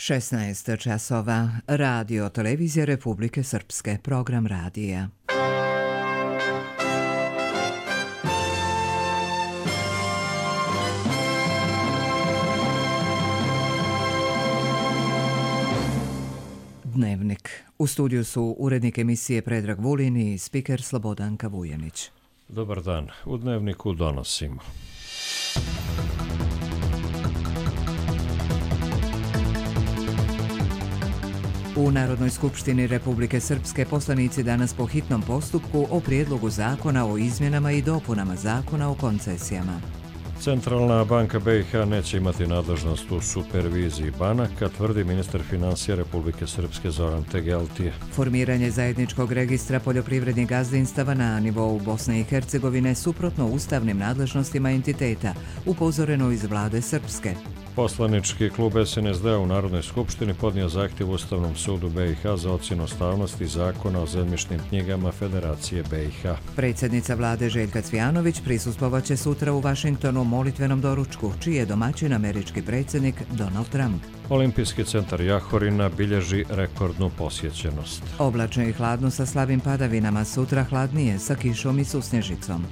16 časova. Radio Televizija Republike Srpske. Program radija. Dnevnik. U studiju su urednik emisije Predrag Vulin i spiker Slobodanka Vujanić. Dobar dan. U Dnevniku donosimo. U Narodnoj skupštini Republike Srpske poslanici danas po hitnom postupku o prijedlogu zakona o izmjenama i dopunama zakona o koncesijama. Centralna banka BiH neće imati nadležnost u superviziji banaka, tvrdi ministar financija Republike Srpske Zoran Tegeltije. Formiranje zajedničkog registra poljoprivrednih gazdinstava na nivou Bosne i Hercegovine suprotno ustavnim nadležnostima entiteta, upozoreno iz vlade Srpske. Poslanički klub SNSD u Narodnoj skupštini podnio zahtjev Ustavnom sudu BiH za ocjenu ustavnosti zakona o zemljišnim knjigama Federacije BiH. Predsjednica vlade Željka Cvijanović prisustvovaće sutra u Vašingtonu molitvenom doručku, čiji je domaćin američki predsjednik Donald Trump. Olimpijski centar Jahorina bilježi rekordnu posjećenost. Oblačno i hladno sa slabim padavinama, sutra hladnije sa kišom i susnježicom.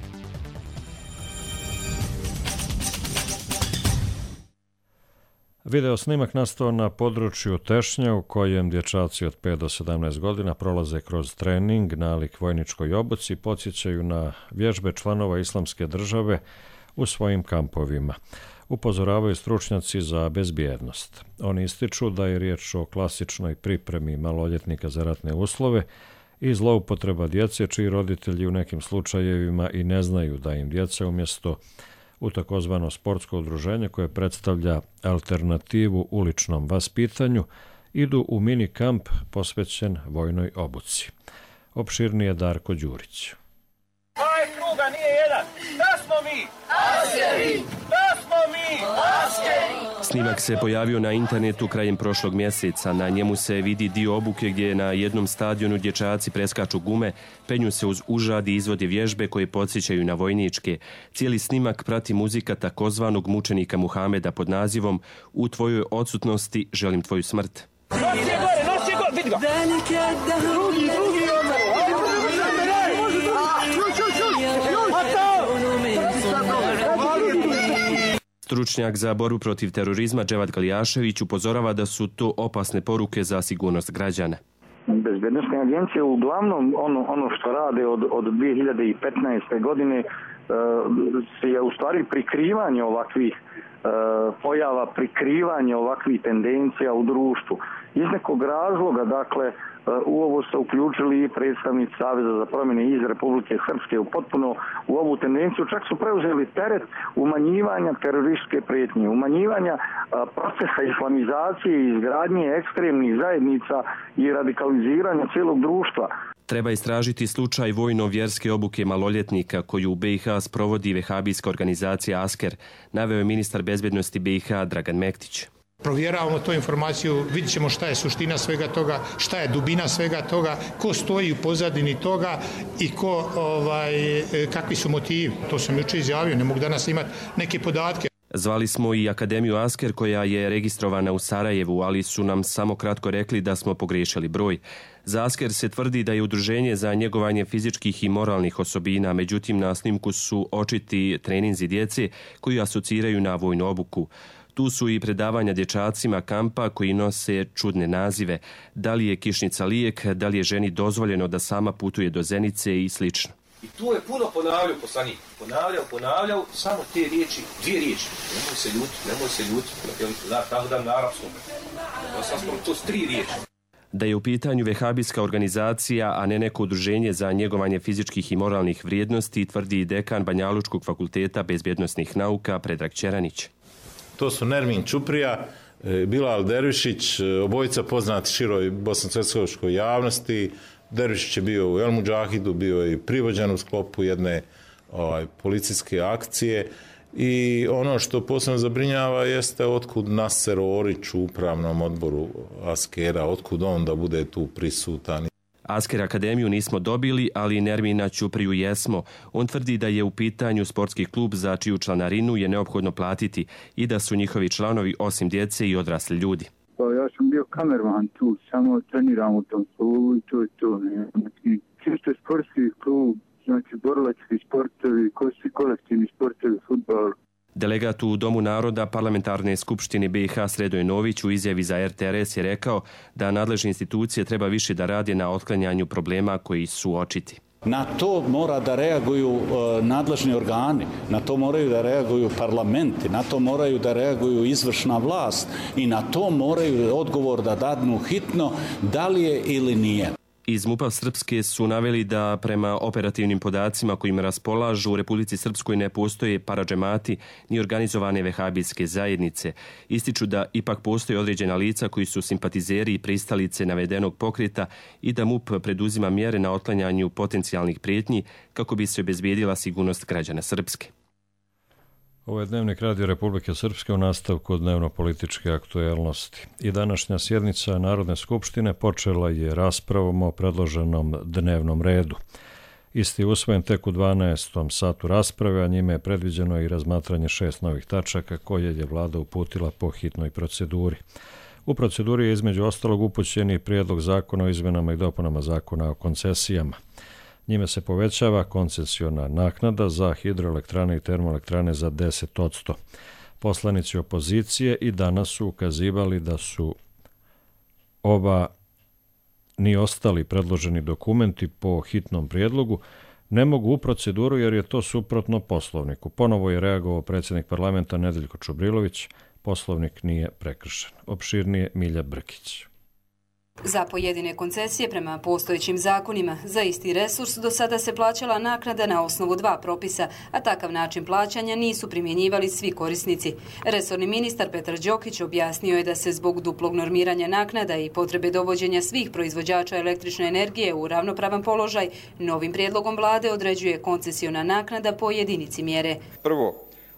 Video snimak nastao na području Tešnja u kojem dječaci od 5 do 17 godina prolaze kroz trening nalik vojničkoj obuci i podsjećaju na vježbe članova Islamske države u svojim kampovima. Upozoravaju stručnjaci za bezbjednost. Oni ističu da je riječ o klasičnoj pripremi maloljetnika za ratne uslove i zloupotreba djece čiji roditelji u nekim slučajevima i ne znaju da im djeca umjesto u takozvano sportsko udruženje koje predstavlja alternativu uličnom vaspitanju, idu u mini kamp posvećen vojnoj obuci. Opširnije Darko Đurić. Ovaj kruga nije jedan. Da smo mi? Askeri! Da smo mi? Askeri! Snimak se pojavio na internetu krajem prošlog mjeseca. Na njemu se vidi dio obuke gdje na jednom stadionu dječaci preskaču gume, penju se uz užad i izvode vježbe koje podsjećaju na vojničke. Cijeli snimak prati muzika takozvanog mučenika Muhameda pod nazivom U tvojoj odsutnosti želim tvoju smrt. Nosi je gore, vidi ga! Drugi Stručnjak za borbu protiv terorizma Dževad Galijašević upozorava da su to opasne poruke za sigurnost građana. Bezbjednosne agencije uglavnom ono što rade od 2015. godine je u stvari prikrivanje ovakvih pojava, prikrivanje ovakvih tendencija u društvu. Iz nekog razloga, dakle, u ovo su uključili i predstavnici Saveza za promjene iz Republike Srpske potpuno u ovu tendenciju. Čak su preuzeli teret umanjivanja terorističke prijetnje, umanjivanja procesa islamizacije i izgradnje ekstremnih zajednica i radikaliziranja cijelog društva. Treba istražiti slučaj vojno-vjerske obuke maloljetnika koju u BiH sprovodi vehabijska organizacija Asker, naveo je ministar bezbjednosti BiH Dragan Mektić. Provjeravamo tu informaciju, vidjet ćemo šta je suština svega toga, šta je dubina svega toga, ko stoji u pozadini toga i kakvi su motivi. To sam jučer izjavio, ne mogu danas imati neke podatke. Zvali smo i Akademiju Asker koja je registrovana u Sarajevu, ali su nam samo kratko rekli da smo pogriješili broj. Za Asker se tvrdi da je udruženje za njegovanje fizičkih i moralnih osobina, međutim na snimku su očiti treninzi djece koji asociraju na vojnu obuku. Tu su i predavanja dječacima kampa koji nose čudne nazive. Da li je kišnica lijek, da li je ženi dozvoljeno da sama putuje do Zenice i slično. I tu je puno ponavljao poslanik. Ponavljao samo te riječi, dvije riječi. Nemoj se ljuti. Tako da na arapskom. Sam smo to 3 riječi. Da je u pitanju vehabijska organizacija, a ne neko udruženje za njegovanje fizičkih i moralnih vrijednosti, tvrdi dekan Banjalučkog fakulteta bezbjednosnih nauka Predrag Ćeranić. To su Nermin Čuprija, Bilal Dervišić, obojica poznati široj bosansko-hercegovačkoj javnosti. Dervišić je bio u El Mudžahidu, bio je i privođen u sklopu jedne policijske akcije. I ono što posebno zabrinjava jeste otkud Naser Orić u upravnom odboru Askera, otkud on da bude tu prisutan. Asker akademiju nismo dobili, ali Nermina Ćupriju jesmo. On tvrdi da je u pitanju sportski klub za čiju članarinu je neophodno platiti i da su njihovi članovi osim djece i odrasli ljudi. Ja ja sam bio kamerman tu, samo treniram u tom klubu i to je to. Znači, čisto sportski klub, znači borilački sportovi, kolektivni sportovi, fudbal. Delegat u Domu naroda Parlamentarne skupštine BiH Sredoje Nović u izjavi za RTRS je rekao da nadležne institucije treba više da rade na otklanjanju problema koji su očiti. Na to mora da reaguju nadležni organi, na to moraju da reaguju parlamenti, na to moraju da reaguju izvršna vlast i na to moraju odgovor da dadnu hitno da li je ili nije. Iz MUP-a Srpske su naveli da prema operativnim podacima kojim raspolažu u Republici Srpskoj ne postoje paradžemati ni organizovane vehabijske zajednice. Ističu da ipak postoje određena lica koji su simpatizeri i pristalice navedenog pokreta i da MUP preduzima mjere na otklanjanju potencijalnih prijetnji kako bi se obezbijedila sigurnost građana Srpske. Ovo je Dnevnik Radio Republike Srpske u nastavku dnevno-političke aktuelnosti. I današnja sjednica Narodne skupštine počela je raspravom o predloženom dnevnom redu. Isti je usvojen tek u 12. satu rasprave, a njime je predviđeno i razmatranje 6 novih tačaka koje je vlada uputila po hitnoj proceduri. U proceduri je između ostalog upućen i prijedlog zakona o izmenama i dopunama zakona o koncesijama. Njime se povećava koncesiona naknada za hidroelektrane i termoelektrane za 10%. Poslanici opozicije i danas su ukazivali da su ni ostali predloženi dokumenti po hitnom prijedlogu ne mogu u proceduru jer je to suprotno Poslovniku. Ponovo je reagovao predsjednik parlamenta Nedeljko Čubrilović. Poslovnik nije prekršen. Opširnije Milja Brkić. Za pojedine koncesije prema postojećim zakonima za isti resurs do sada se plaćala naknada na osnovu 2 propisa, a takav način plaćanja nisu primjenjivali svi korisnici. Resorni ministar Petar Đokić objasnio je da se zbog duplog normiranja naknada i potrebe dovođenja svih proizvođača električne energije u ravnopravan položaj, novim prijedlogom vlade određuje koncesiona naknada po jedinici mjere. Prvo,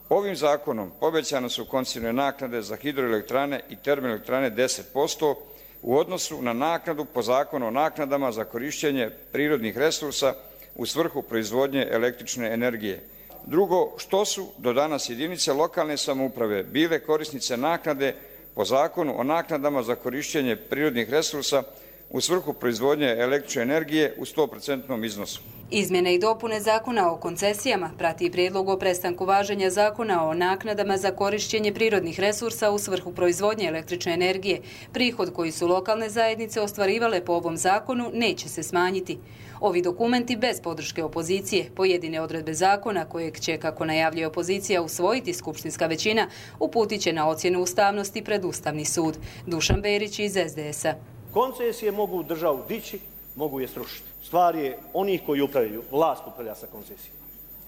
ovim zakonom povećane su koncesione naknade za hidroelektrane i termoelektrane 10%, u odnosu na naknadu po zakonu o naknadama za korištenje prirodnih resursa u svrhu proizvodnje električne energije. Drugo, što su do danas jedinice lokalne samouprave bile korisnice naknade po zakonu o naknadama za korištenje prirodnih resursa u svrhu proizvodnje električne energije u 100% iznosu. Izmjene i dopune zakona o koncesijama prati i prijedlog o prestanku važenja zakona o naknadama za korištenje prirodnih resursa u svrhu proizvodnje električne energije. Prihod koji su lokalne zajednice ostvarivale po ovom zakonu neće se smanjiti. Ovi dokumenti bez podrške opozicije, pojedine odredbe zakona kojeg će, kako najavljuje opozicija, usvojiti skupštinska većina, uputit će na ocjenu ustavnosti pred Ustavni sud. Dušan Berić iz SDS-a. Koncesije mogu državu dići, mogu je srušiti. Stvar je onih koji upravljaju, vlast upravlja sa koncesijama.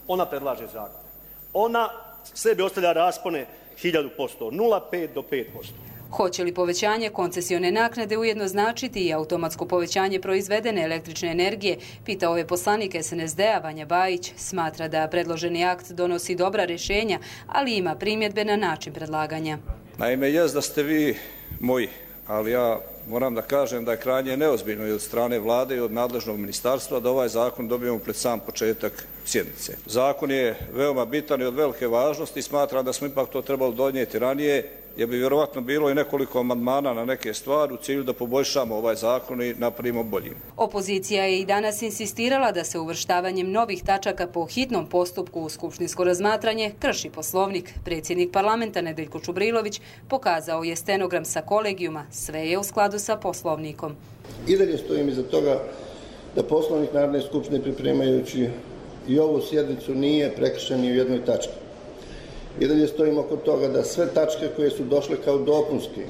Ona predlaže zakon. Ona sebi ostavlja raspone 1000%, 0,5 do 5%. Hoće li povećanje koncesione naknade ujedno značiti i automatsko povećanje proizvedene električne energije, pita ove poslanike SNSD-a Vanja Bajić. Smatra da predloženi akt donosi dobra rješenja, ali ima primjedbe na način predlaganja. Naime, jest da ste vi moji, ali ja moram da kažem da je krajnje neozbiljno i od strane vlade i od nadležnog ministarstva da ovaj zakon dobijemo pred sam početak sjednice. Zakon je veoma bitan i od velike važnosti i smatram da smo ipak to trebali donijeti ranije, jer bi vjerovatno bilo i nekoliko amandmana na neke stvari u cilju da poboljšamo ovaj zakon i napravimo boljim. Opozicija je i danas insistirala da se uvrštavanjem novih tačaka po hitnom postupku u skupštinsko razmatranje krši Poslovnik. Predsjednik parlamenta Nedeljko Čubrilović pokazao je stenogram sa kolegijuma. Sve je u skladu sa Poslovnikom. I dalje stojim iza toga da Poslovnik Narodne skupštine pripremajući i ovu sjednicu nije prekršen ni u jednoj tački. I dalje stojimo oko toga da sve tačke koje su došle kao dopunski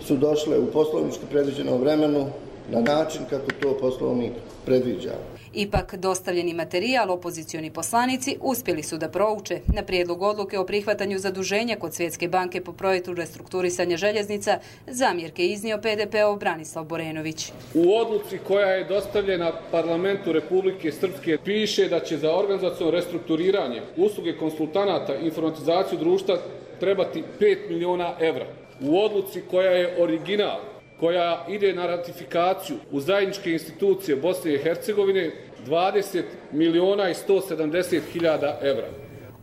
su došle u poslovnički predviđenom vremenu na način kako to Poslovnik predviđa. Ipak, dostavljeni materijal opozicioni poslanici uspjeli su da prouče. Na prijedlog odluke o prihvatanju zaduženja kod Svjetske banke po projektu restrukturisanja željeznica zamjerke iznio PDP-ov Branislav Borenović. U odluci koja je dostavljena parlamentu Republike Srpske piše da će za organizaciono restrukturiranje usluge konsultanata i informatizaciju društva trebati 5 miliona evra. U odluci koja je original, koja ide na ratifikaciju u zajedničke institucije Bosne i Hercegovine, 20 miliona i 170 hiljada evra.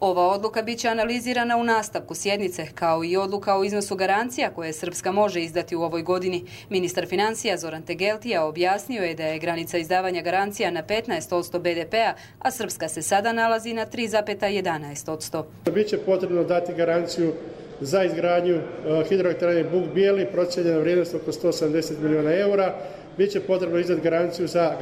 Ova odluka biće analizirana u nastavku sjednice, kao i odluka o iznosu garancija koje Srpska može izdati u ovoj godini. Ministar financija Zoran Tegeltija objasnio je da je granica izdavanja garancija na 15% BDP-a, a Srpska se sada nalazi na 3,11%. Biće potrebno dati garanciju za izgradnju hidroelektrane Buk Bijeli, procijenjena vrijednost oko 180 miliona eura. Biće potrebno izdati garanciju za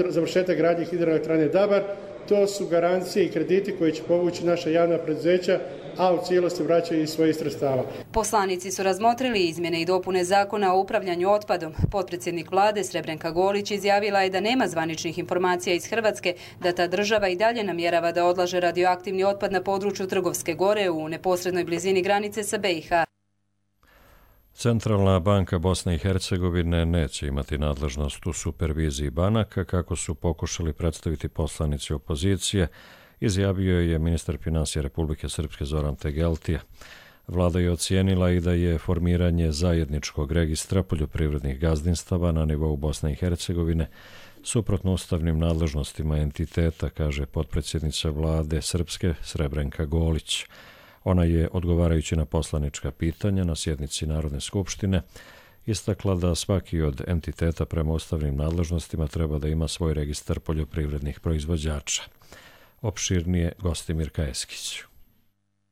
završetak gradnje hidroelektrane Dabar. To su garancije i krediti koji će povući naša javna preduzeća, a u cijelosti vraćaju iz svojih sredstava. Poslanici su razmotrili izmjene i dopune zakona o upravljanju otpadom. Potpredsjednik vlade Srebrenka Golić izjavila je da nema zvaničnih informacija iz Hrvatske da ta država i dalje namjerava da odlaže radioaktivni otpad na području Trgovske gore u neposrednoj blizini granice sa BiH. Centralna banka Bosne i Hercegovine neće imati nadležnost u superviziji banaka, kako su pokušali predstaviti poslanici opozicije, izjavio je ministar financija Republike Srpske Zoran Tegeltija. Vlada je ocijenila i da je formiranje zajedničkog registra poljoprivrednih gazdinstava na nivou Bosne i Hercegovine suprotno ustavnim nadležnostima entiteta, kaže potpredsjednica vlade Srpske Srebrenka Golić. Ona je, odgovarajući na poslanička pitanja na sjednici Narodne skupštine, istakla da svaki od entiteta prema ustavnim nadležnostima treba da ima svoj registar poljoprivrednih proizvođača. Opširnije Gostimir Kajeskić.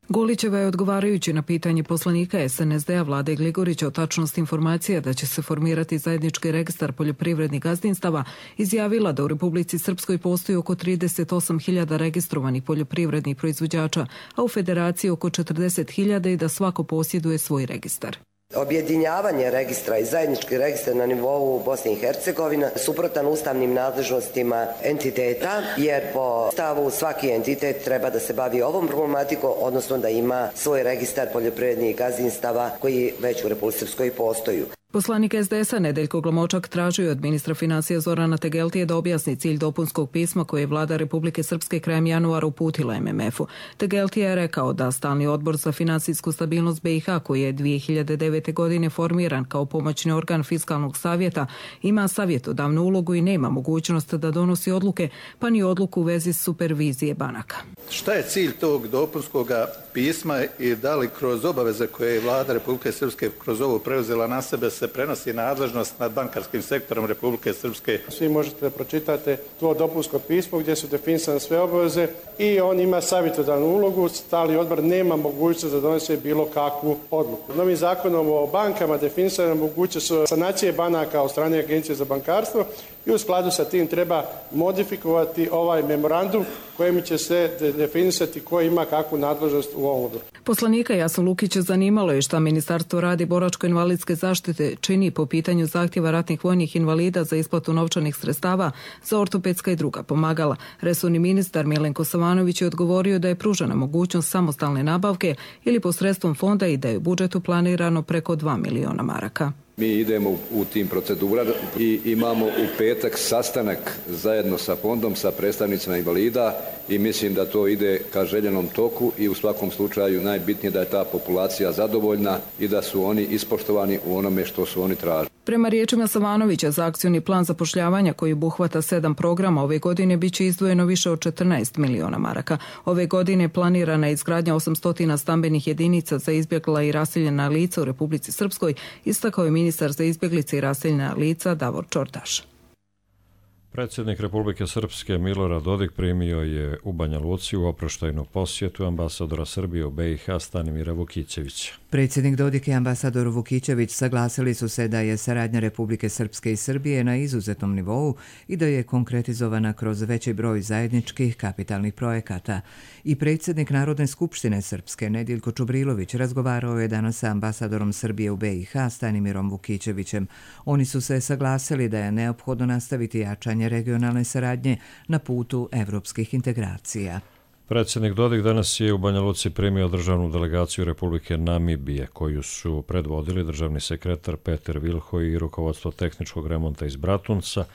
Golićeva je, odgovarajući na pitanje poslanika SNSD-a Vlade Gligorića o tačnosti informacija da će se formirati zajednički registar poljoprivrednih gazdinstava, izjavila da u Republici Srpskoj postoji oko 38.000 registrovanih poljoprivrednih proizvođača, a u Federaciji oko 40.000 i da svako posjeduje svoj registar. Objedinjavanje registra i zajednički registar na nivou Bosne i Hercegovine suprotan ustavnim nadležnostima entiteta, jer po stavu svaki entitet treba da se bavi ovom problematikom, odnosno da ima svoj registar poljoprivrednih gazdinstava koji već u Republici Srpskoj postoji. Poslanik SDS-a Nedeljko Glomočak tražio od ministra financija Zorana Tegeltije da objasni cilj dopunskog pisma koje je vlada Republike Srpske krajem januara uputila MMF-u. Tegeltija je rekao da Stalni odbor za finansijsku stabilnost BiH, koji je 2009. godine formiran kao pomoćni organ fiskalnog savjeta, ima savjetodavnu ulogu i nema mogućnost da donosi odluke, pa ni odluku u vezi supervizije banaka. Šta je cilj tog dopunskog pisma i da li kroz obaveze koje je vlada Republike Srpske kroz ovo preuzela na sebe se prenosi nadležnost nad bankarskim sektorom Republike Srpske? Svi možete da pročitate to dopunsko pismo gdje su definisane sve obaveze i on ima savjetodavnu ulogu. Stalni odbor nema mogućnost da donese bilo kakvu odluku. Novim zakonom o bankama definisane mogućnost sanacije banaka od strane Agencije za bankarstvo i u skladu sa tim treba modifikovati ovaj memorandum kojim će se definisati ko ima kakvu nadležnost u ovom odboru. Poslanika Jasnu Lukića zanimalo je šta Ministarstvo radi boračko-invalidske zaštite čini po pitanju zahtjeva ratnih vojnih invalida za isplatu novčanih sredstava za ortopedska i druga pomagala. Resorni ministar Milenko Savanović je odgovorio da je pružena mogućnost samostalne nabavke ili posredstvom fonda i da je u budžetu planirano preko 2 miliona maraka. Mi idemo u tim procedurama i imamo u petak sastanak zajedno sa fondom, sa predstavnicima invalida i mislim da to ide ka željenom toku i u svakom slučaju najbitnije da je ta populacija zadovoljna i da su oni ispoštovani u onome što su oni tražili. Prema riječima Savanovića, za akcioni plan zapošljavanja koji obuhvata 7 programa ove godine biće izdvojeno više od 14 miliona maraka. Ove godine planirana je izgradnja 800 stambenih jedinica za izbjegla i raseljena lica u Republici Srpskoj, istakao je ministar za izbjeglice i raseljena lica Davor Čortaš. Predsjednik Republike Srpske Milorad Dodik primio je u Banja Luci u oproštajnu posjetu ambasadora Srbije u BiH Stanimira Vukićevića. Predsjednik Dodik i ambasador Vukićević saglasili su se da je saradnja Republike Srpske i Srbije na izuzetnom nivou i da je konkretizovana kroz veći broj zajedničkih kapitalnih projekata. I predsjednik Narodne skupštine Srpske Nediljko Čubrilović razgovarao je danas sa ambasadorom Srbije u BiH Stanimirom Vukićevićem. Oni su se saglasili da je neophodno nastaviti jačanje regionalne saradnje na putu evropskih integracija. Predsjednik Dodik danas je u Banja Luci primio državnu delegaciju Republike Namibije, koju su predvodili državni sekretar Peter Vilho i rukovodstvo tehničkog remonta iz Bratunca,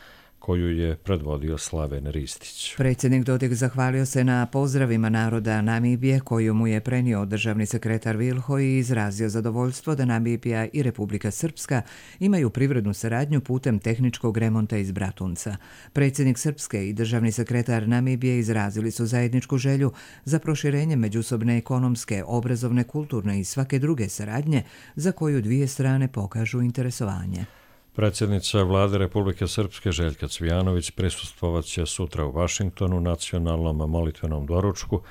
koju je predvodio Slaven Ristić. Predsjednik Dodik zahvalio se na pozdravima naroda Namibije koju mu je prenio državni sekretar Vilho i izrazio zadovoljstvo da Namibija i Republika Srpska imaju privrednu saradnju putem tehničkog remonta iz Bratunca. Predsjednik Srpske i državni sekretar Namibije izrazili su zajedničku želju za proširenje međusobne ekonomske, obrazovne, kulturne i svake druge saradnje za koju dvije strane pokažu interesovanje. Predsjednica vlade Republike Srpske Željka Cvijanović prisustvovat će sutra u Vašingtonu nacionalnom molitvenom doručku,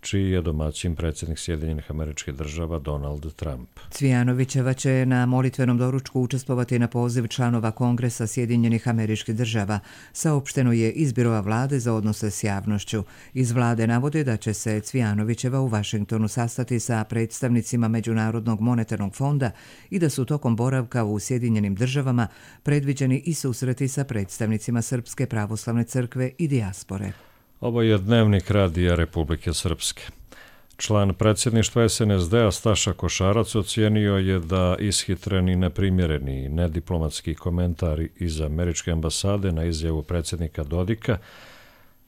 čiji je domaćin predsjednik Sjedinjenih Američkih Država Donald Trump. Cvijanovićeva će na molitvenom doručku učestvovati na poziv članova Kongresa Sjedinjenih Američkih Država, saopšteno je iz Biroa vlade za odnose s javnošću. Iz vlade navode da će se Cvijanovićeva u Vašingtonu sastati sa predstavnicima Međunarodnog monetarnog fonda i da su tokom boravka u Sjedinjenim Državama predviđeni i susreti sa predstavnicima Srpske pravoslavne crkve i dijaspore. Ovo je dnevnik Radija Republike Srpske. Član predsjedništva SNSD-a Staša Košarac ocijenio je da ishitreni, neprimjereni i nediplomatski komentari iz američke ambasade na izjavu predsjednika Dodika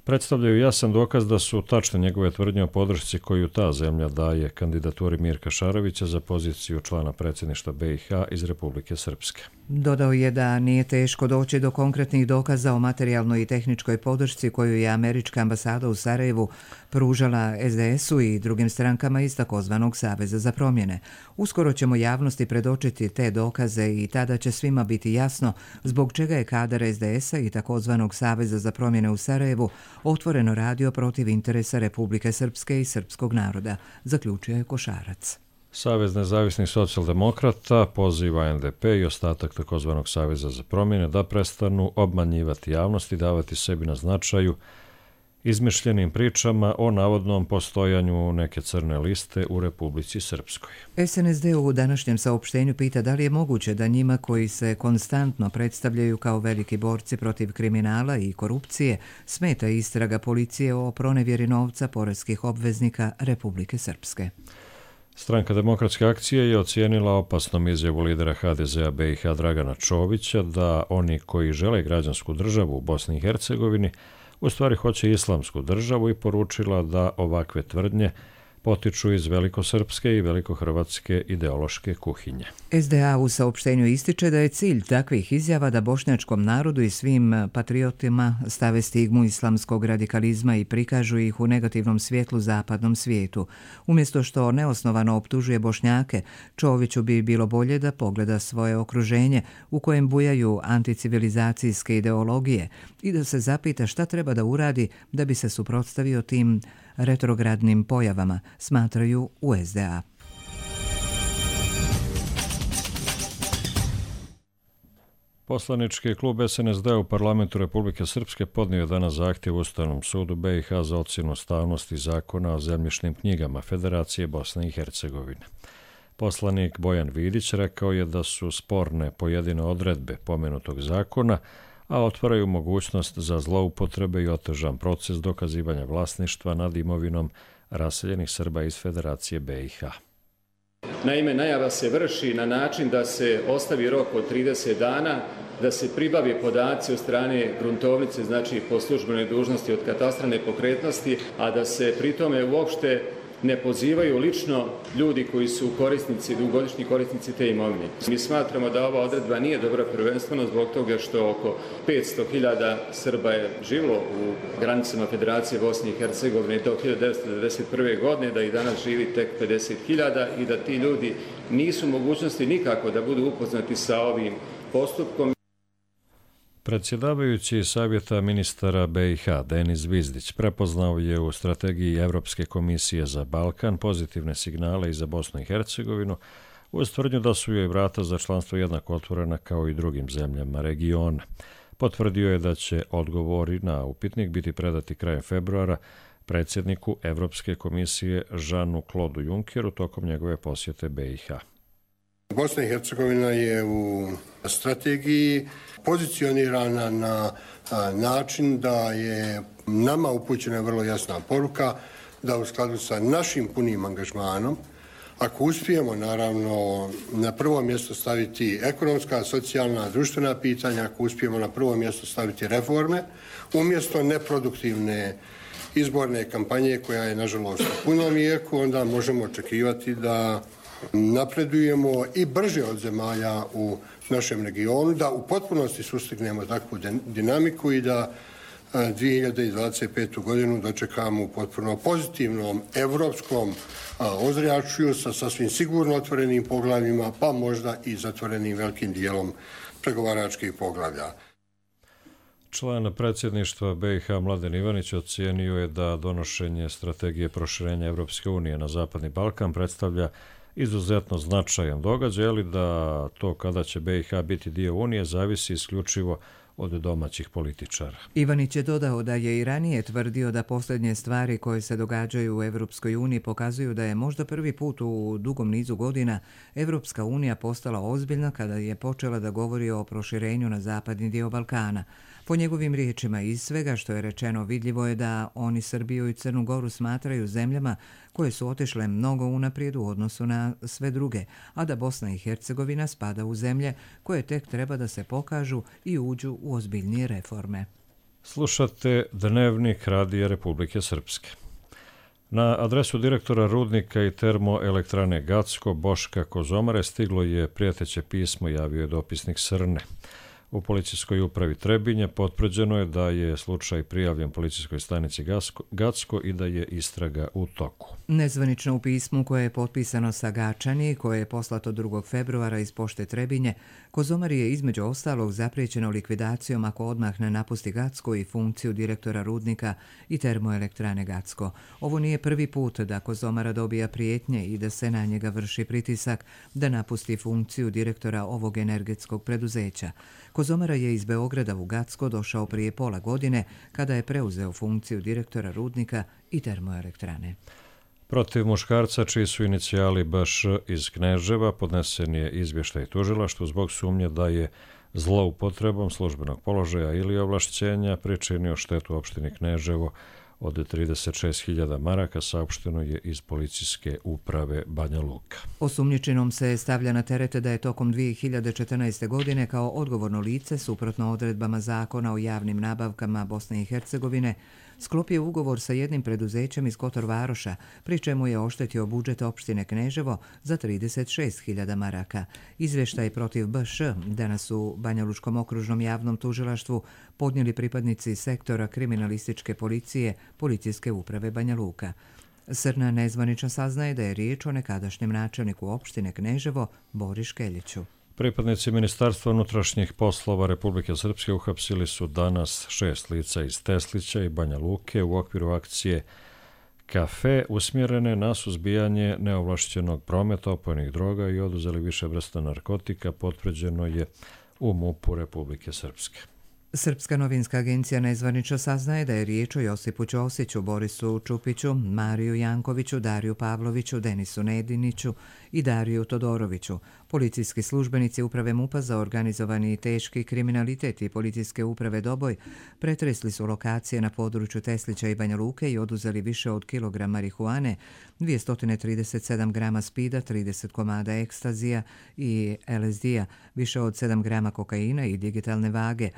predstavljaju jasan dokaz da su tačne njegove tvrdnje o podršci koju ta zemlja daje kandidaturi Mirka Šarovića za poziciju člana predsjedništva BiH iz Republike Srpske. Dodao je da nije teško doći do konkretnih dokaza o materijalnoj i tehničkoj podršci koju je američka ambasada u Sarajevu pružala SDS-u i drugim strankama iz takozvanog Saveza za promjene. Uskoro ćemo javnosti predočiti te dokaze i tada će svima biti jasno zbog čega je kadar SDS-a i takozvanog Saveza za promjene u Sarajevu otvoreno radio protiv interesa Republike Srpske i srpskog naroda, zaključio je Košarac. Savez nezavisnih socijaldemokrata poziva NDP i ostatak takozvanog Saveza za promjene da prestanu obmanjivati javnost i davati sebi na značaju izmišljenim pričama o navodnom postojanju neke crne liste u Republici Srpskoj. SNSD u današnjem saopštenju pita da li je moguće da njima koji se konstantno predstavljaju kao veliki borci protiv kriminala i korupcije smeta istraga policije o pronevjeri novca poreskih obveznika Republike Srpske. Stranka Demokratske akcije je ocijenila opasnom izjavu lidera HDZ-a BiH Dragana Čovića da oni koji žele građansku državu u Bosni i Hercegovini u stvari hoće islamsku državu i poručila da ovakve tvrdnje potiču iz velikosrpske i velikohrvatske ideološke kuhinje. SDA u saopštenju ističe da je cilj takvih izjava da bošnjačkom narodu i svim patriotima stave stigmu islamskog radikalizma i prikažu ih u negativnom svjetlu zapadnom svijetu. Umjesto što neosnovano optužuje Bošnjake, Čoviću bi bilo bolje da pogleda svoje okruženje u kojem bujaju anticivilizacijske ideologije i da se zapita šta treba da uradi da bi se suprotstavio tim retrogradnim pojavama, smatraju u SDA. Poslanički klub SNSD u parlamentu Republike Srpske podnio je danas zahtjev Ustavnom sudu BiH za ocjenu ustavnosti zakona o zemljišnim knjigama Federacije Bosne i Hercegovine. Poslanik Bojan Vidić rekao je da su sporne pojedine odredbe pomenutog zakona, a otvaraju mogućnost za zloupotrebe i otežan proces dokazivanja vlasništva nad imovinom raseljenih Srba iz Federacije BiH. Naime, najava se vrši na način da se ostavi rok od 30 dana, da se pribave podaci od strane gruntovnice, znači po službenoj dužnosti od katastra nepokretnosti, a da se pri tome uopšte ne pozivaju lično ljudi koji su korisnici, dugogodišnji korisnici te imovine. Mi smatramo da ova odredba nije dobra prvenstveno zbog toga što oko 500.000 Srba je živjelo u granicama Federacije Bosne i Hercegovine do 1991. godine, da i danas živi tek 50.000 i da ti ljudi nisu u mogućnosti nikako da budu upoznati sa ovim postupkom. Predsjedavajući Savjeta ministara BiH Denis Zvizdić prepoznao je u strategiji Evropske komisije za Balkan pozitivne signale i za Bosnu i Hercegovinu uz tvrdnju da su joj vrata za članstvo jednako otvorena kao i drugim zemljama regiona. Potvrdio je da će odgovori na upitnik biti predati krajem februara predsjedniku Evropske komisije Žanu Klodu Junkeru tokom njegove posjete BiH. Bosna i Hercegovina je u strategiji pozicionirana na način da je nama upućena vrlo jasna poruka da u skladu sa našim punim angažmanom, Ako uspijemo, naravno, na prvo mjesto staviti ekonomska, socijalna, društvena pitanja, ako uspijemo na prvo mjesto staviti reforme, umjesto neproduktivne izborne kampanje koja je, nažalost, u punom jeku, onda možemo očekivati da napredujemo i brže od zemalja u našem regionu, da u potpunosti sustignemo takvu dinamiku i da 2025. godinu dočekamo u potpuno pozitivnom evropskom ozračju sa sasvim sigurno otvorenim poglavljima, pa možda i zatvorenim velikim dijelom pregovaračkih poglavlja. Član predsjedništva BiH Mladen Ivanić ocijenio je da donošenje strategije proširenja Evropske unije na Zapadni Balkan predstavlja izuzetno značajan događaj, ali da to kada će BiH biti dio Unije zavisi isključivo od domaćih političara. Ivanić je dodao da je i ranije tvrdio da posljednje stvari koje se događaju u Evropskoj uniji pokazuju da je možda prvi put u dugom nizu godina Evropska unija postala ozbiljna kada je počela da govori o proširenju na zapadni dio Balkana. Po njegovim riječima, iz svega što je rečeno, vidljivo je da oni Srbiju i Crnu Goru smatraju zemljama koje su otišle mnogo unaprijed u odnosu na sve druge, a da Bosna i Hercegovina spada u zemlje koje tek treba da se pokažu i uđu u ozbiljnije reforme. Slušate Dnevnik Radija Republike Srpske. Na adresu direktora rudnika i termoelektrane Gacko Boška Kozomare stiglo je prijeteće pismo, javio je dopisnik Srne. U policijskoj upravi Trebinje potvrđeno je da je slučaj prijavljen policijskoj stanici Gacko i da je istraga u toku. Nezvanično u pismu koje je potpisano sa Gačani, koje je poslato 2. februara iz pošte Trebinje, Kozomari je između ostalog zapriječeno likvidacijom ako odmah ne napusti Gacko i funkciju direktora rudnika i termoelektrane Gacko. Ovo nije prvi put da Kozomara dobija prijetnje i da se na njega vrši pritisak da napusti funkciju direktora ovog energetskog preduzeća. Kozomara je iz Beograda u Gacko došao prije pola godine kada je preuzeo funkciju direktora rudnika i termoelektrane. Protiv muškarca čiji su inicijali BŠ iz Kneževa podnesen je izvještaj tužilaštvu zbog sumnje da je zloupotrebom službenog položaja ili ovlašćenja pričinio štetu opštini Kneževo od 36.000 maraka, saopšteno je iz policijske uprave Banja Luka. Osumnjičenom se stavlja na teret da je tokom 2014. godine kao odgovorno lice, suprotno odredbama zakona o javnim nabavkama Bosne i Hercegovine, sklopio ugovor sa jednim preduzećem iz Kotor Varoša, pri čemu je oštetio budžet opštine Kneževo za 36.000 maraka. Izvještaj protiv BŠ danas u Banja Lučkom okružnom javnom tužilaštvu podnijeli pripadnici sektora kriminalističke policije Policijske uprave Banja Luka. Srna nezvanično saznaje da je riječ o nekadašnjem načelniku opštine Kneževo Bori Škeljiću. Pripadnici Ministarstva unutrašnjih poslova Republike Srpske uhapsili su danas 6 lica iz Teslića i Banja Luke u okviru akcije Kafe usmjerene na suzbijanje neovlašćenog prometa opojnih droga i oduzeli više vrsta narkotika, potvrđeno je u MUP-u Republike Srpske. Srpska novinska agencija nezvanično saznaje da je riječ o Josipu Ćosiću, Borisu Čupiću, Mariju Jankoviću, Dariju Pavloviću, Denisu Nediniću i Dariju Todoroviću. Policijski službenici uprave MUP-a za organizovani teški kriminalitet i policijske uprave Doboj pretresli su lokacije na području Teslića i Banja Luke i oduzeli više od kilogram marihuane, 237 grama spida, 30 komada ekstazija i LSD-a, više od 7 grama kokaina i digitalne vage,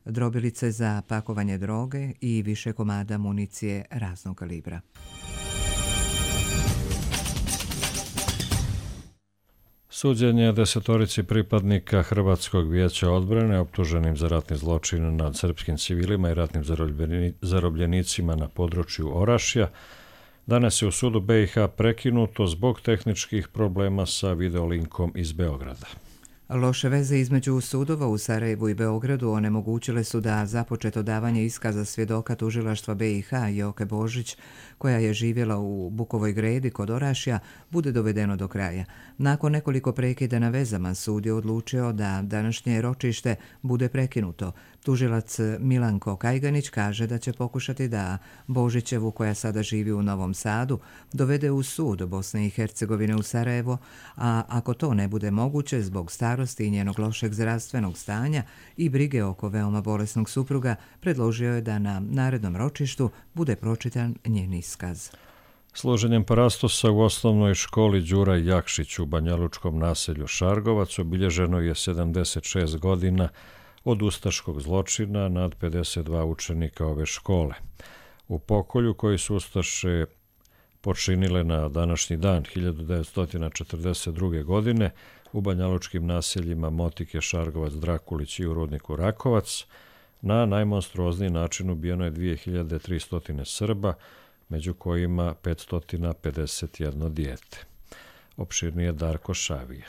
drobilice za pakovanje droge i više komada municije raznog kalibra. Suđenje 10 pripadnika Hrvatskog vijeća odbrane optuženim za ratni zločin nad srpskim civilima i ratnim zarobljenicima na području Orašja danas je u sudu BiH prekinuto zbog tehničkih problema sa videolinkom iz Beograda. Loše veze između sudova u Sarajevu i Beogradu onemogućile su da započeto davanje iskaza svjedoka tužilaštva BiH Joke Božić, koja je živjela u Bukovoj Gredi kod Orašja, bude dovedeno do kraja. Nakon nekoliko prekida na vezama, sud je odlučio da današnje ročište bude prekinuto. Tužilac Milanko Kajganić kaže da će pokušati da Božićevu, koja sada živi u Novom Sadu, dovede u sud Bosne i Hercegovine u Sarajevo, a ako to ne bude moguće zbog starosti i njenog lošeg zdravstvenog stanja i brige oko veoma bolesnog supruga, predložio je da na narednom ročištu bude pročitan njen iskaz. Služenjem parastosa u osnovnoj školi Đura Jakšić u banjalučkom naselju Šargovac obilježeno je 76 godina od ustaškog zločina nad 52 učenika ove škole. U pokolju koji su ustaše počinile na današnji dan 1942. godine u banjalučkim naseljima Motike, Šargovac, Drakulić i u rudniku Rakovac, na najmonstruozniji način ubijeno je 2300 Srba, među kojima 551 dijete. Opširnije Darko Šavija.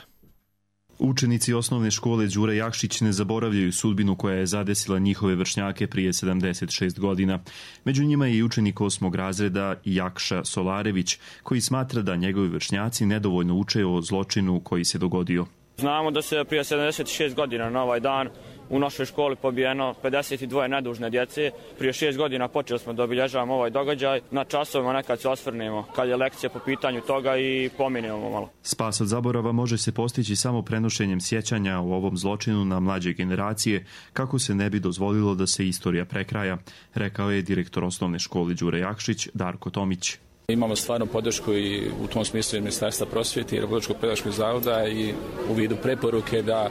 Učenici osnovne škole Đure Jakšić ne zaboravljaju sudbinu koja je zadesila njihove vršnjake prije 76 godina. Među njima je i učenik 8. razreda Jakša Solarević, koji smatra da njegovi vršnjaci nedovoljno uče o zločinu koji se dogodio. Znamo da se prije 76 godina na ovaj dan u našoj školi pobijeno 52 nedužne djece. Prije 6 godina počeli smo da obilježavamo ovaj događaj. Na časovima nekad se osvrnemo kad je lekcija po pitanju toga i pominjemo malo. Spas od zaborava može se postići samo prenošenjem sjećanja o ovom zločinu na mlađe generacije, kako se ne bi dozvolilo da se istorija prekraja, rekao je direktor osnovne škole Đure Jakšić Darko Tomić. Imamo stvarno podršku i u tom smislu i Ministarstva prosvjete i Republičkog pedagoškog zavoda i u vidu preporuke da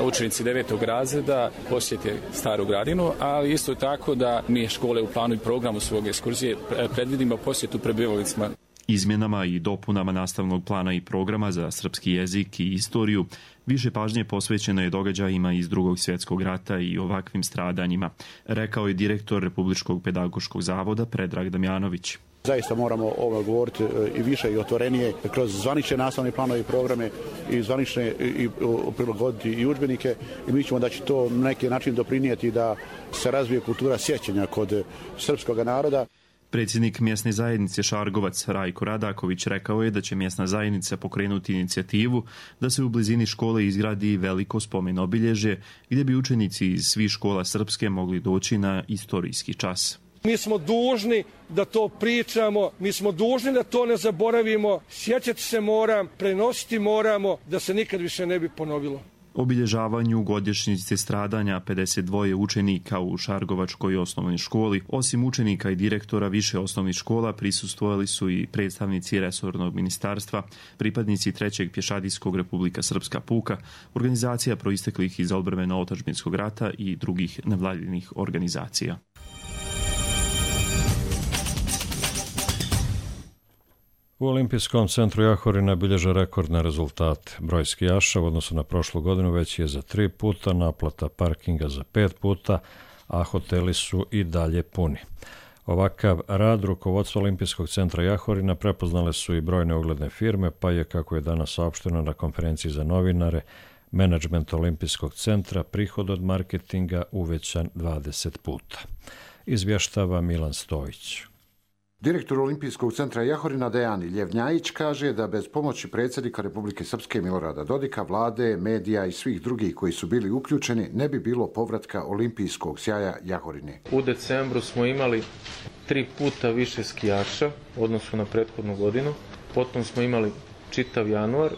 učenici 9. razreda posjete Staru Gradinu, ali isto tako da mi škole u planu i programu svoje ekskurzije predvidimo posjetu prebivalištima. Izmjenama i dopunama nastavnog plana i programa za srpski jezik i istoriju više pažnje posvećeno je događajima iz Drugog svjetskog rata i ovakvim stradanjima, rekao je direktor Republičkog pedagoškog zavoda Predrag Damjanović. Zaista moramo ovo govoriti i više i otvorenije kroz zvanične nastavne planove i programe i zvanične i prilagoditi i udžbenike i mi ćemo da će to na neki način doprinijeti da se razvije kultura sjećanja kod srpskog naroda. Predsjednik mjesne zajednice Šargovac Rajko Radaković rekao je da će mjesna zajednica pokrenuti inicijativu da se u blizini škole izgradi veliko spomen obilježje gdje bi učenici iz svih škola srpske mogli doći na istorijski čas. Mi smo dužni da to pričamo, mi smo dužni da to ne zaboravimo, sjećati se moram, prenositi moramo, da se nikad više ne bi ponovilo. Obilježavanju godišnjice stradanja 52 učenika u Šargovačkoj osnovnoj školi, osim učenika i direktora više osnovnih škola, prisustvovali su i predstavnici resornog ministarstva, pripadnici 3. pješadijskog Republika Srpska puka, organizacija proisteklih iz odbrambeno-otadžbinskog rata i drugih nevladinih organizacija. U Olimpijskom centru Jahorina bilježe rekordne rezultate. Broj skijaša u odnosu na prošlu godinu veći je za 3 puta, naplata parkinga za 5 puta, a hoteli su i dalje puni. Ovakav rad rukovodstva Olimpijskog centra Jahorina prepoznale su i brojne ugledne firme, pa je, kako je danas saopšteno na konferenciji za novinare, menadžment Olimpijskog centra prihod od marketinga uvećan 20 puta. Izvještava Milan Stojić. Direktor Olimpijskog centra Jahorina Dejan Ljevnjajić kaže da bez pomoći predsjednika Republike Srpske Milorada Dodika, vlade, medija i svih drugih koji su bili uključeni ne bi bilo povratka olimpijskog sjaja Jahorine. U decembru smo imali 3 puta više skijaša u odnosu na prethodnu godinu. Potom smo imali čitav januar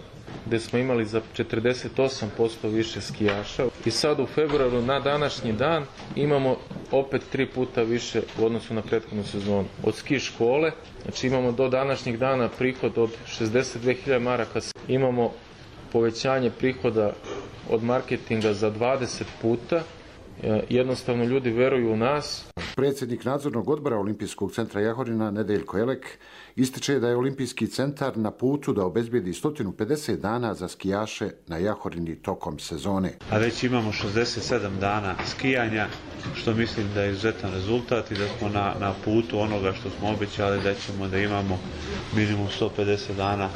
gdje smo imali za 48% više skijaša. I sad u februaru na današnji dan imamo opet 3 puta više u odnosu na prethodnu sezonu. Od ski škole, znači imamo do današnjeg dana prihod od 62.000 maraka. Imamo povećanje prihoda od marketinga za 20 puta. Jednostavno ljudi veruju u nas. Predsjednik nadzornog odbora Olimpijskog centra Jahorina Nedeljko Elek ističe da je Olimpijski centar na putu da obezbijedi 150 dana za skijaše na Jahorini tokom sezone. A već imamo 67 dana skijanja, što mislim da je izuzetan rezultat i da smo na putu onoga što smo obećali da ćemo da imamo minimum 150 dana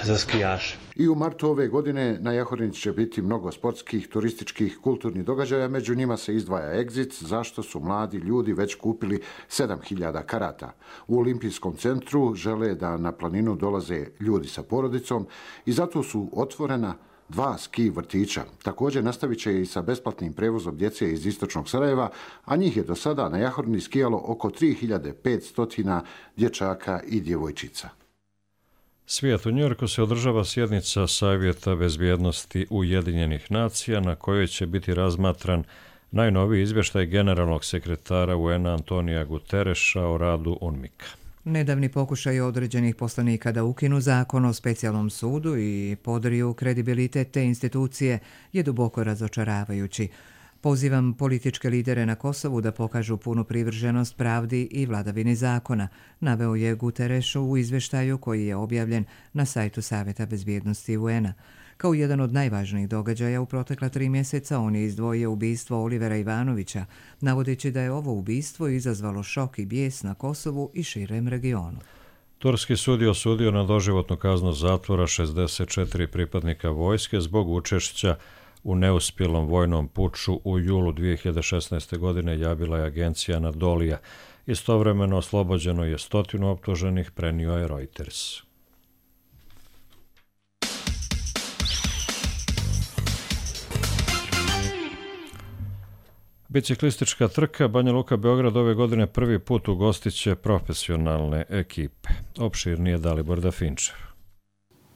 za skijaše. I u martu ove godine na Jahorini će biti mnogo sportskih, turističkih, kulturnih događaja, među njima se izdvaja Exit, zašto su mladi ljudi već kupili 7000 karata. U Olimpijskom centru žele da na planinu dolaze ljudi sa porodicom i zato su otvorena 2 ski vrtića. Također nastavit će i sa besplatnim prevozom djece iz istočnog Sarajeva, a njih je do sada na Jahorini skijalo oko 3500 dječaka i djevojčica. Svijet u Njujorku se održava sjednica Savjeta bezbjednosti Ujedinjenih nacija na kojoj će biti razmatran najnoviji izvještaj generalnog sekretara UN-a Antonija Gutereša o radu UNMIK-a. Nedavni pokušaj određenih poslanika da ukinu zakon o specijalnom sudu i podriju kredibilitet te institucije je duboko razočaravajući. Pozivam političke lidere na Kosovu da pokažu punu privrženost pravdi i vladavini zakona, naveo je Guterres u izveštaju koji je objavljen na sajtu Saveta bezbjednosti UN-a. Kao jedan od najvažnijih događaja u protekla 3 mjeseca on je izdvojio ubistvo Olivera Ivanovića, navodeći da je ovo ubistvo izazvalo šok i bijes na Kosovu i širem regionu. Turski sud je osudio na doživotnu kaznu zatvora 64 pripadnika vojske zbog učešća u neuspjelom vojnom puču u julu 2016. godine, javila je agencija Anadolija. Istovremeno oslobođeno je 100 optuženih, prenio je Reuters. Biciklistička trka Banja Luka Beograd ove godine prvi put ugostit će profesionalne ekipe. Opširnije Dalibor Dafinčev.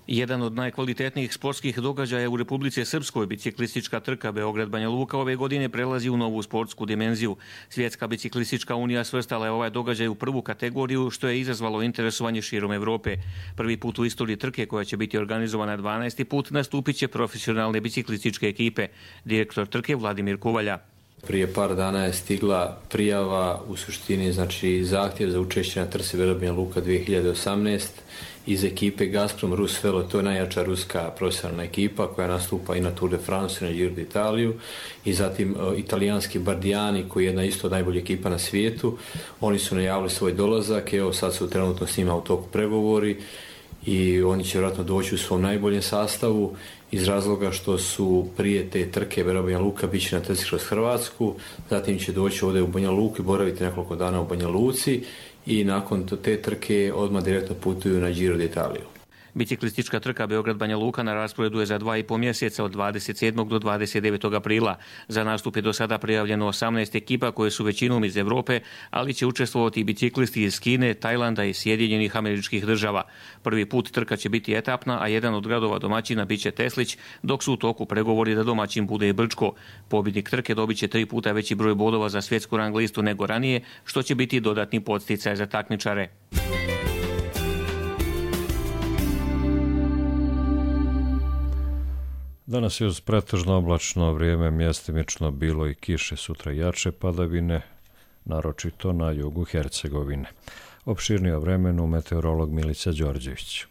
Jedan od najkvalitetnijih sportskih događaja u Republici Srpskoj, biciklistička trka Beograd-Banja Luka ove godine prelazi u novu sportsku dimenziju. Svjetska biciklistička unija svrstala je ovaj događaj u prvu kategoriju, što je izazvalo interesovanje širom Evrope. Prvi put u istoriji trke, koja će biti organizovana 12. put, nastupit će profesionalne biciklističke ekipe. Direktor trke Vladimir Kuvalja. Prije par dana je stigla prijava, u suštini znači zahtjev za učešće na trci Beograd-Banja Luka 2018 iz ekipe Gazprom Rus Velo, to je najjača ruska profesionalna ekipa koja nastupa i na Tour de France i na Giro d'Italiju, i zatim italijanski Bardiani koji je jedna isto najbolja ekipa na svijetu. Oni su najavili svoj dolazak, evo sad su trenutno s njima u toku pregovori i oni će vjerojatno doći u svom najboljem sastavu iz razloga što su prije te trke Beograd-Banja Luka bit će na trci kroz Hrvatsku, zatim će doći ovdje u Banja Luku i boraviti nekoliko dana u Banja Luci i nakon te trke odmah direktno putuju na Giro d'Italiju. Biciklistička trka Beograd-Banja Luka na rasporedu je za 2,5 mjeseca od 27. do 29. aprila. Za nastup je do sada prijavljeno 18 ekipa koje su većinom iz Evrope, ali će učestvovati i biciklisti iz Kine, Tajlanda i Sjedinjenih Američkih Država. Prvi put trka će biti etapna, a jedan od gradova domaćina biće Teslić, dok su u toku pregovori da domaćin bude i Brčko. Pobjednik trke dobit će 3 puta veći broj bodova za svjetsku rang listu nego ranije, što će biti dodatni podsticaj za takmičare. Danas je uz pretežno oblačno vrijeme, mjestimično bilo i kiše, sutra jače padavine, naročito na jugu Hercegovine. Opširnije o vremenu meteorolog Milica Đorđević.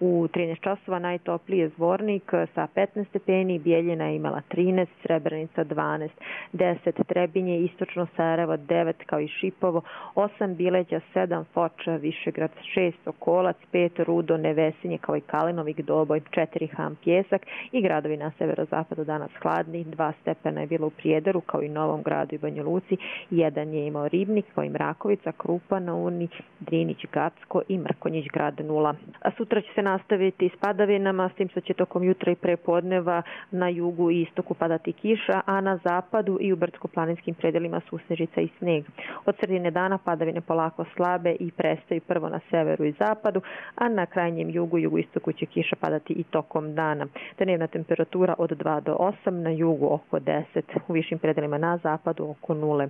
U 13 časova najtopliji je Zvornik sa 15 stepeni, Bijeljina je imala 13, Srebrenica 12, 10 Trebinje, istočno Sarajevo 9 kao i Šipovo, 8 Bileđa, 7 Foča, Višegrad 6, Okolac 5, Rudo, Nevesinje kao i Kalinovik, Doboj 4, Ham, Pjesak i gradovi na severozapadu danas hladni, 2 stepena je bilo u Prijedoru kao i Novom Gradu i Banja Luci, 1 je imao Ribnik kao i Mrakovica, Krupa na Uni, Drinić, Gacko i Mrkonjić grad 0. A sutra će se nastaviti s padavinama, s tim što će tokom jutra i prepodneva na jugu i istoku padati kiša, a na zapadu i u brdsko-planinskim predelima susnežica i sneg. Od sredine dana padavine polako slabe i prestaju prvo na severu i zapadu, a na krajnjem jugu i jugoistoku će kiša padati i tokom dana. Dnevna temperatura od 2 do 8, na jugu oko 10, u višim predelima na zapadu oko 0.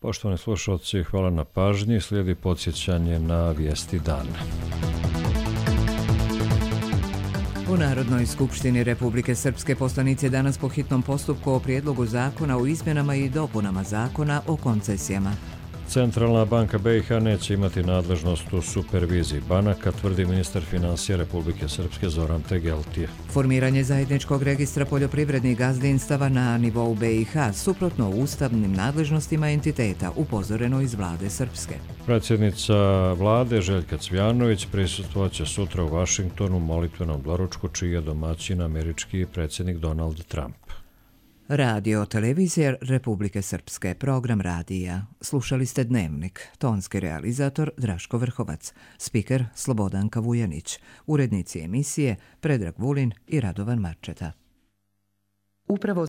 Poštovani slušalci, hvala na pažnji. Slijedi podsjećanje na vijesti dana. U Narodnoj skupštini Republike Srpske poslanici danas po hitnom postupku o prijedlogu zakona o izmjenama i dopunama zakona o koncesijama. Centralna banka BiH neće imati nadležnost u superviziji banaka, tvrdi ministar financija Republike Srpske Zoran Tegeltije. Formiranje zajedničkog registra poljoprivrednih gazdinstava na nivou BiH suprotno ustavnim nadležnostima entiteta, upozoreno iz vlade Srpske. Predsjednica vlade Željka Cvjanović prisustvovaće sutra u Vašingtonu molitvenom doručku čiji je domaćin američki predsjednik Donald Trump. Radio televizija Republike Srpske, program radija. Slušali ste Dnevnik, tonski realizator Draško Vrhovac, spiker Slobodanka Vujanić, urednici emisije Predrag Vulin i Radovan Marčeta. Upravo